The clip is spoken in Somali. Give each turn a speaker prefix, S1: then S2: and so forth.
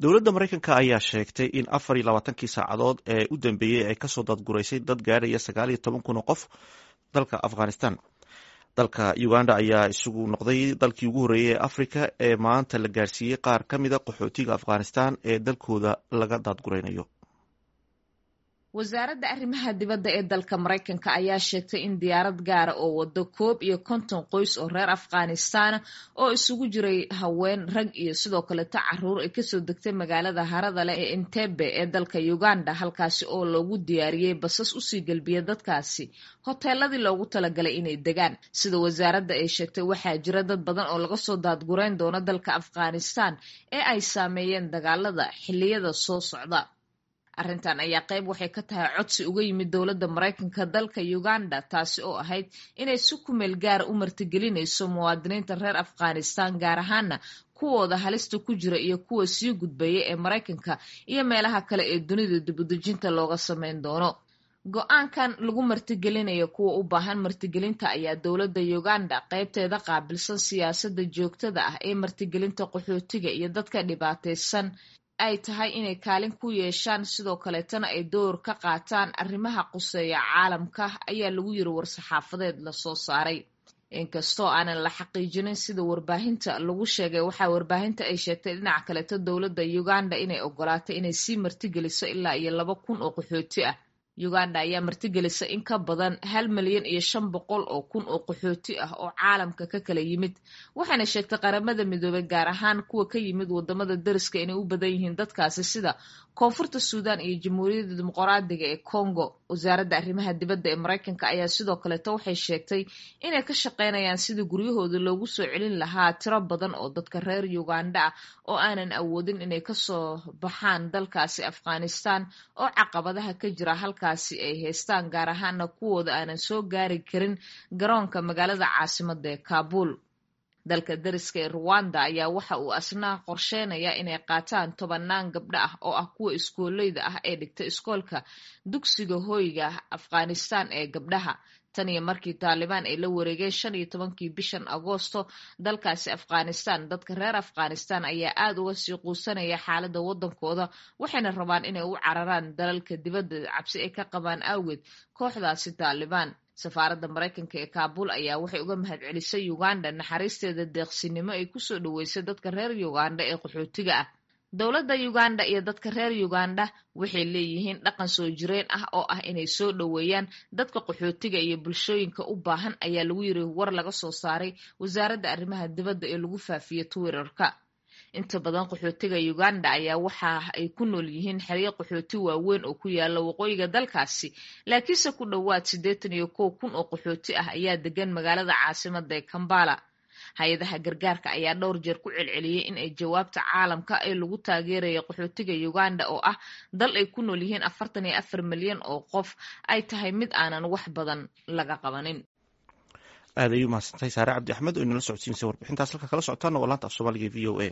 S1: Dowladda Maraykanka ayaa sheegtay in 24-kii saacadood ee u dambeeyey ay kasoo daadguraysay dad gaadhaya 19,000 oo qof dalka Afghanistan. Dalka Uganda ayaa isugu noqday dalkii ugu horreeyey ee Afrika ee maanta la gaarsiiyey qaar ka mida qaxootiga Afghanistan ee dalkooda laga daadguraynayo.
S2: Wasaaradda arrimaha dibadda ee dalka Maraykanka ayaa sheegtay in diyaarad gaara oo wado 51 qoys oo reer Afghanistan oo isugu jiray haween, rag iyo sidoo kaleto caruur ay kasoo degtay magaalada harada leh ee Entebbe ee dalka Uganda, halkaasi oo loogu diyaariyey basas usii gelbiya dadkaasi hoteeladii loogu talagalay inay degaan. Sida wasaaradda ay sheegtay, waxaa jira dad badan oo laga soo daadgurayn doono dalka Afghanistan ee ay saameeyeen dagaalada xilliyada soo socda. Arrintan ayaa qayb waxay ka tahay codsi uga yimid dowladda Maraykanka dalka Uganda, taasi oo ahayd inay si kumeel gaara u martigelinayso muwaadiniinta reer Afghanistan, gaar ahaana kuwooda halista ku jira iyo kuwa sii gudbaya ee Maraykanka iyo meelaha kale ee dunida dibudejinta looga sameyn doono. Go-aankan lagu martigelinayo kuwa u baahan martigelinta ayaa dowladda Uganda qaybteeda qaabilsan siyaasadda joogtada ah ee martigelinta qaxootiga iyo dadka dhibaataysan ay tahay inay kaalin ku yeeshaan, sidoo kaleetana ay door ka qaataan arrimaha quseeya caalamka, ayaa lagu yiri war-saxaafadeed lasoo saaray. Inkastoo aanan la xaqiijinin sida warbaahinta lagu sheegay, waxaa warbaahinta ay sheegtay dhinaca kaleeto dowladda Uganda inay ogolaatay inay sii martigeliso ilaa iyo 2,000 oo qaxooti ah. Uganda ayaa martigelisa in ka badan 1,500,000 oo qaxooti ah oo caalamka ka kala yimid, waxaana sheegtay Qaramada Midoobay, gaar ahaan kuwa ka yimid wadamada dariska, inay u badan yihiin dadkaasi sida Koonfurta Suudan iyo Jamhuuriyadda Dimuqraadiga ee Congo. Wasaaradda arrimaha dibadda ee Maraykanka ayaa sidoo kaleeto waxay sheegtay inay ka shaqeynayaan sidii guryahooda loogu soo celin lahaa tiro badan oo dadka reer Uganda ah oo aanan awoodin inay kasoo baxaan dalkaasi Afghanistan oo caqabadaha ka jira halkaasi ay haystaan, gaar ahaana kuwooda aanan soo gaari karin garoonka magaalada caasimada ee Kaabul. Dalka dariska ee Ruwanda ayaa waxa uu asna qorsheynaya inay qaataan tobanaan gabdho ah oo ah kuwa iskooleyda ah ee dhigta iskoolka dugsiga hoyga Afghanistan ee gabdhaha. Tan iyo markii Taalibaan ay la wareegeen 15-kii bishan Agoosto dalkaasi Afghanistan, dadka reer Afghanistan ayaa aada uga sii quusanaya xaaladda waddankooda, waxayna rabaan inay u cararaan dalalka dibadda cabsi ay ka qabaan awgeed kooxdaasi Taalibaan. Safaaradda Maraykanka ee Kaabul ayaa waxay uga mahadcelisay Uganda naxariisteeda deeqsinimo ay kusoo dhaweysay dadka reer Uganda ee qaxootiga ah. Dowladda Uganda iyo dadka reer Uganda waxay leeyihiin dhaqan soo jireen ah oo ah inay soo dhoweeyaan dadka qaxootiga iyo bulshooyinka u baahan, ayaa lagu yiri war laga soo saaray wasaaradda arrimaha dibadda ee lagu faafiyey Twitterka. Inta badan qaxootiga Uganda ayaa waxa ay ku nool yihiin xeryo qaxooti waaweyn oo ku yaala waqooyiga dalkaasi, laakiinse ku dhowaad 81,000 oo qaxooti ah ayaa degan magaalada caasimada ee Kambala. Hay-adaha gargaarka ayaa dhowr jeer ku celceliyey in ay jawaabta caalamka ee lagu taageerayo qaxootiga Uganda, oo ah dal ay ku nool yihiin 44 milyan oo qof, ay tahay mid aanan wax badan laga qabanin.
S1: Aad ay u mahadsantahay Saare Cabdi Axmed oo inala socodsiinaysa warbixintaas. Halka kala socotaana waa laanta af Soomaaliga v o a.